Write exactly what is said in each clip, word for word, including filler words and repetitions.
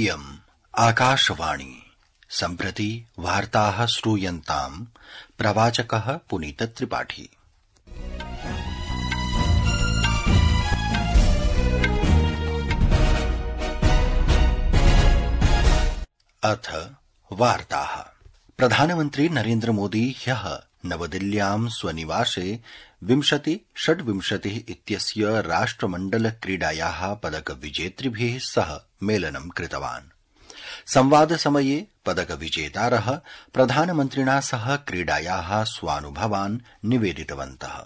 इयम् आकाशवाणी सम्प्रति वार्ताः श्रूयन्ताम् प्रवाचकः पुनीत त्रिपाठी। अथ वार्ताः। प्रधानमन्त्री नरेन्द्र मोदी ह्यः नवदिल्ल्यां स्वनिवासे विंशति षड्विंशतिः इत्यस्य राष्ट्रमण्डल क्रीडायाः पदक विजेतृभिः सह मेलनं कृतवान्। संवादसमये पदक विजेतारः प्रधानमन्त्रिणा सह क्रीडायाः स्वानुभवान् निवेदितवन्तः।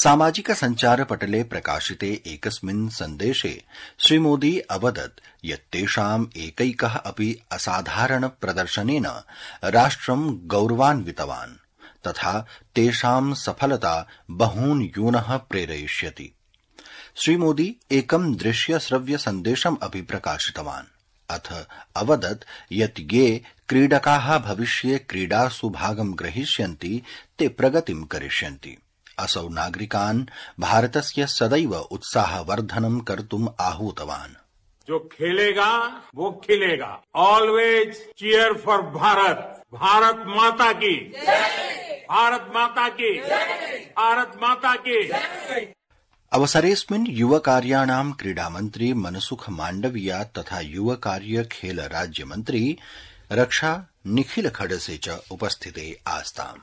सामाजिक सञ्चारपटले प्रकाशिते एकस्मिन् सन्देशे श्रीमोदी अवदत् यत् तेषाम् एकैकः अपि असाधारण प्रदर्शनेन राष्ट्रं गौरवान्वितवान् तथा तेषां सफलता बहून् यूनः प्रेरयिष्यति। श्रीमोदी एकं दृश्य श्रव्य सन्देशम् अपि प्रकाशितवान्। अथ अवदत् यत् ये क्रीडकाः भविष्ये क्रीडासु भागं ग्रहीष्यन्ति ते प्रगतिं करिष्यन्ति। असौ नागरिकान् भारतस्य सदैव उत्साहवर्धनं कर्तुम् आहूतवान्। जो खेलेगा वो खिलेगा। Always cheer for Bharat. Bharat माता की भारत माता की भारत माता की। अवसरेऽस्मिन् युवकार्याणां क्रीडामन्त्री मनसुख माण्डविया तथा युवकार्य खेल राज्यमन्त्री रक्षा निखिल खडसे च उपस्थिते आस्ताम्।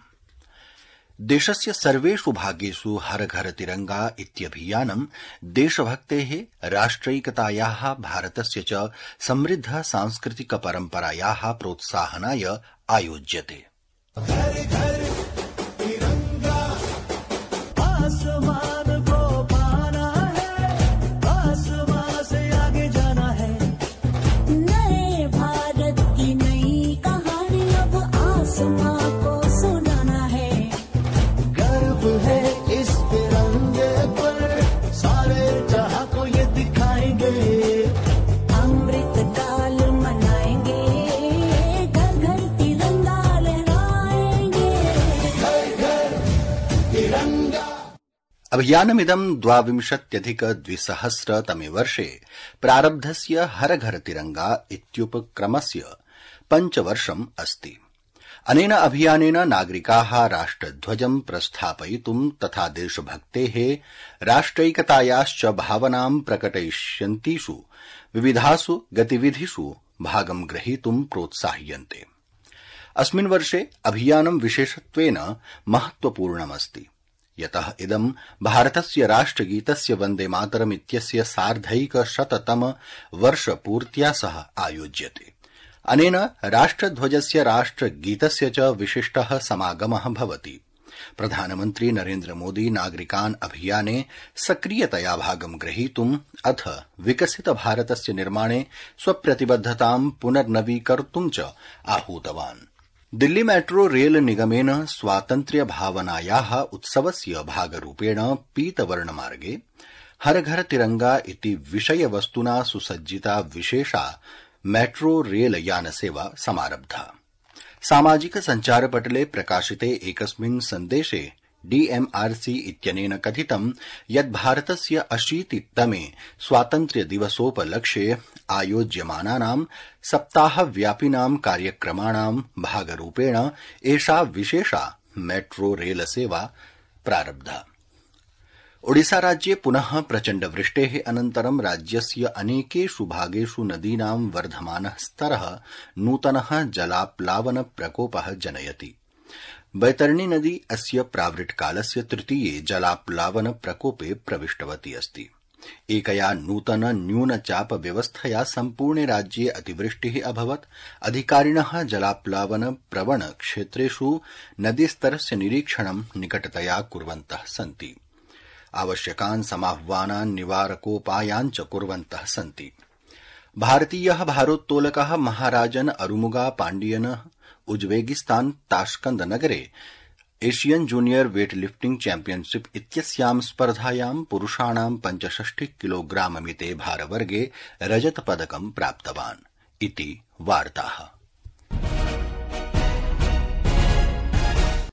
देशस्य सर्वेषु भागेषु हर घर तिरंगा इत्यभियानं देशभक्तेः राष्ट्रैकतायाः भारतस्य च समृद्ध सांस्कृतिक परम्परायाः प्रोत्साहनाय आयोज्यते। घर घर तिरंगा आसमान को पाना है, आसमान से आगे जाना है। नए भारत की नई कहानी अब आसमान को सुनाना है। गर्व है इस तिरंगे पर, सारे जहां को ये दिखाएंगे। अमृत काल मनाएंगे, घर घर तिरंगा लहराएंगे। घर घर तिरंगा। अभियानमिदं द्वाविंशत्यधिक द्विसहस्रतमे वर्षे प्रारब्धस्य हर घर तिरंगा इत्युपक्रमस्य पञ्चवर्षम् अस्ति। अनेन अभियानेन नागरिकाः राष्ट्रध्वजं प्रस्थापयितुं तथा देशभक्तेः राष्ट्रैकतायाश्च भावनां प्रकटयिष्यन्तीषु विविधासु गतिविधिषु भागं ग्रहीतुं प्रोत्साह्यन्ते। अस्मिन् वर्षे अभियानं विशेषत्वेन महत्वपूर्णमस्ति, यतः इदं भारतस्य राष्ट्रगीतस्य वन्दे मातरम् इत्यस्य सार्धैकशततम वर्षपूर्त्या सह आयोज्यते। अनेन राष्ट्रध्वजस्य राष्ट्रगीतस्य च विशिष्टः समागमः भवति। प्रधानमन्त्री नरेन्द्र मोदी नागरिकान् अभियाने सक्रियतया भागं ग्रहीतुम् अथ विकसित भारतस्य निर्माणे स्वप्रतिबद्धतां पुनर्नवीकर्तुं च आहूतवान्। दिल्ली मेट्रो रेल निगमेन स्वातन्त्र्य भावनायाः उत्सवस्य भागरूपेण पीतवर्णमार्गे हर घर तिरंगा इति विषयवस्तुना सुसज्जिता विशेषा मेट्रो रेल यानसेवा समारब्धा। सामाजिक सञ्चारपटले प्रकाशिते एकस्मिन् सन्देशे डीएमआरसी इत्यनेन कथितं यत् भारतस्य अशीतितमे स्वातन्त्र्य दिवसोपलक्ष्ये आयोज्यमानानां सप्ताहव्यापिनां कार्यक्रमाणां भागरूपेण एषा विशेषा मेट्रो रेल सेवा प्रारब्धा। ओडिशा राज्ये पुनः प्रचण्ड वृष्टेः अनन्तरं राज्यस्य अनेकेषु भागेषु नदीनां वर्धमानः स्तरः नूतनः जलाप्लावन प्रकोपः जनयति। बैतरणी नदी अस्य प्रावृट्कालस्य तृतीये जलाप्लावन प्रकोपे प्रविष्टवती अस्ति। एकया नूतन न्यूनचाप व्यवस्थया सम्पूर्णे राज्ये अतिवृष्टिः अभवत्। अधिकारिणः जलाप्लावन प्रवण क्षेत्रेषु नदीस्तरस्य निरीक्षणं निकटतया कुर्वन्तः सन्ति। आवश्यकान् समाह्वानान् निवारकोपायान् च कुर्वन्तः सन्ति। भारतीयः भारोत्तोलकः महाराजन अरुमुगा पाण्डियनः उज्बेकिस्तान ताश्कंद नगरे Asian junior weight lifting championship इत्यस्यां स्पर्धायां पुरुषाणां पञ्चषष्टि किलोग्राममिते भारवर्गे रजतपदकं प्राप्तवान् इति वार्ताः।